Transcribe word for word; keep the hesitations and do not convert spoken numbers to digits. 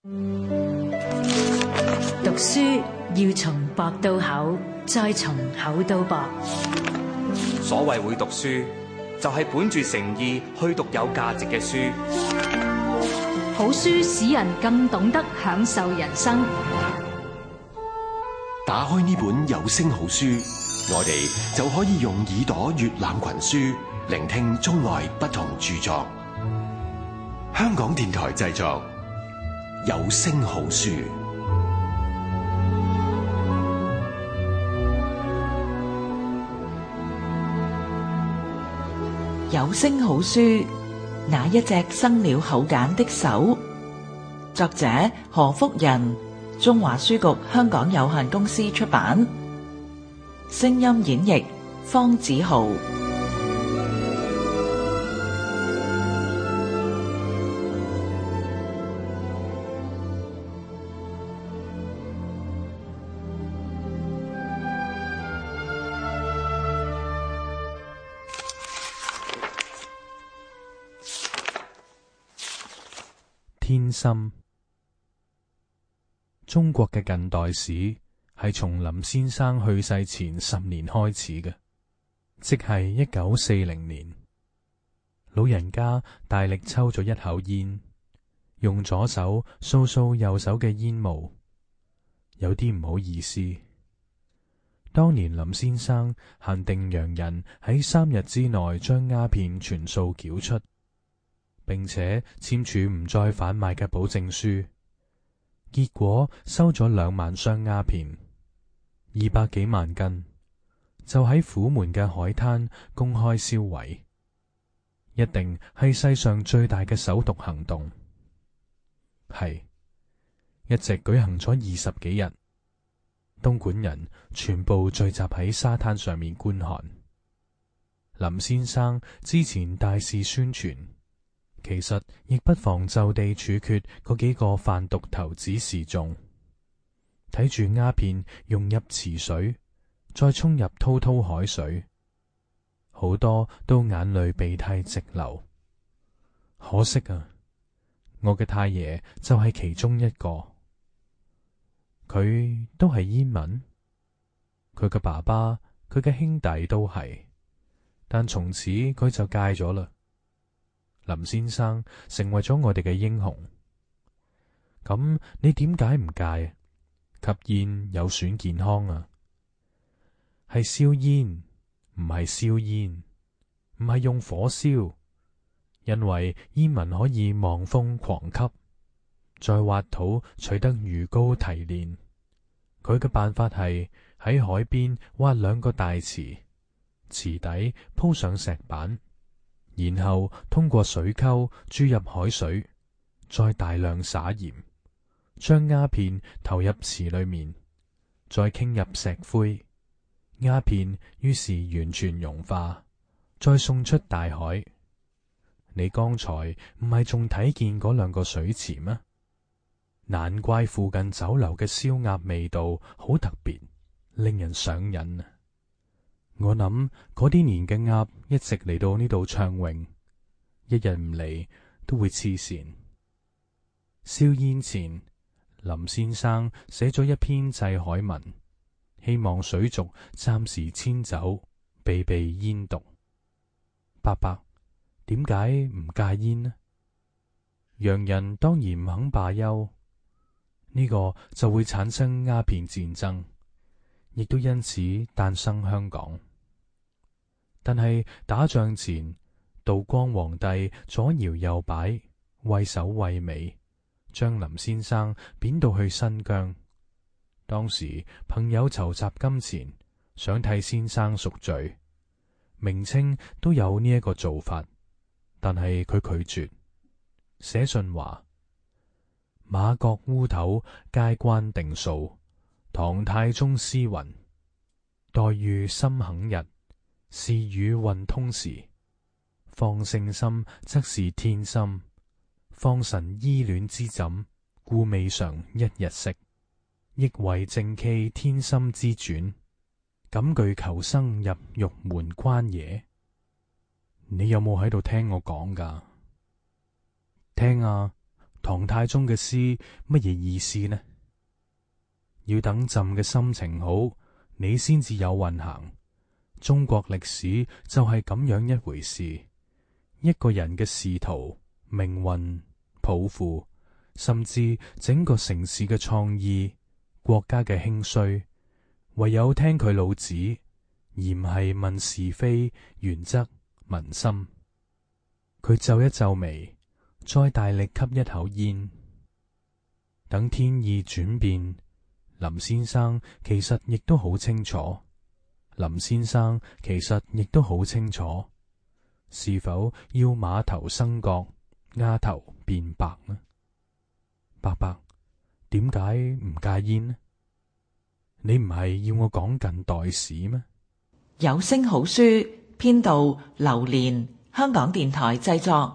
讀書要從薄到厚，再從厚到薄。所謂會讀書，就係本住誠意去讀有價值嘅書。好書使人更懂得享受人生。打開呢本有聲好書，我哋就可以用耳朵閱覽群書，聆聽中外不同著作。香港電台製作，有聲好書。有聲好書，那一隻生了口繭的手。作者何福仁，中華書局香港有限公司出版。聲音演繹方子豪。天心。中國嘅近代史係從林先生去世前十年開始嘅，即係一九四零年。老人家大力抽咗一口煙，用左手掃掃右手嘅煙霧，有啲唔好意思。當年林先生限定洋人喺三日之內將鴉片全數繳出，並且簽署唔再販賣嘅保證書，結果收咗兩萬箱鴉片，二百幾萬斤，就喺虎門嘅海灘公開銷毀，一定係世上最大嘅首毒行動。係，一直舉行咗二十幾日，東莞人全部聚集喺沙灘上面觀看。林先生之前大肆宣傳，其實亦不妨就地處決嗰幾個販毒頭子示眾，睇住鴉片融入池水，再沖入滔滔海水，好多都眼淚鼻涕直流。可惜啊，我嘅太爺就係其中一個。佢都係煙民，佢嘅爸爸、佢嘅兄弟都係，但從此佢就戒咗啦。林先生成為咗我哋嘅英雄。咁你點解唔戒啊？吸煙有損健康啊。係燒煙，唔係燒煙，唔係用火燒，因為煙民可以望風狂吸，再挖土取得魚膏提煉。佢嘅辦法係喺海邊挖兩個大池，池底鋪上石板，然後通過水溝注入海水，再大量撒鹽，將鴉片投入池裏面，再傾入石灰，鴉片於是完全融化，再送出大海。你剛才唔係仲睇見嗰兩個水池咩？難怪附近酒樓嘅燒鴨味道好特別，令人上癮啊！我諗嗰啲年嘅鴨一直嚟到呢度暢泳，一日唔嚟都會黐線。燒煙前，林先生寫咗一篇祭海文，希望水族暫時遷走，避避煙毒。伯伯，點解唔戒煙呢？洋人當然唔肯罷休，呢個就會產生鴉片戰爭，亦都因此誕生香港。但係打仗前，道光皇帝左搖右擺，畏首畏尾，將林先生貶到去新疆。當時朋友籌集金錢，想替先生贖罪，明清都有呢一個做法，但係佢拒絕，寫信話：馬國烏頭皆關定數，唐太宗詩云：待遇心肯日，事與運通時。放聖心則是天心，放神依戀之枕，故未嘗一日息。亦為正氣天心之轉，敢懼求生入獄門關野。你有冇喺度聽我講㗎？聽啊！唐太宗嘅詩乜嘢意思呢？要等朕嘅心情好，你先至有運行。中國歷史就係咁樣一回事。一個人嘅仕途、命運、抱負，甚至整個城市嘅創意、國家嘅興衰，唯有聽佢老子，而唔係問是非、原則、民心。佢皺一皺眉，再大力吸一口煙。等天意轉變，林先生其實亦都好清楚。林先生其實亦都好清楚，是否要馬頭生角，丫頭變白呢？伯伯，點解唔戒煙呢？你唔係要我講近代史咩？有聲好書編導劉蓮，香港電台製作。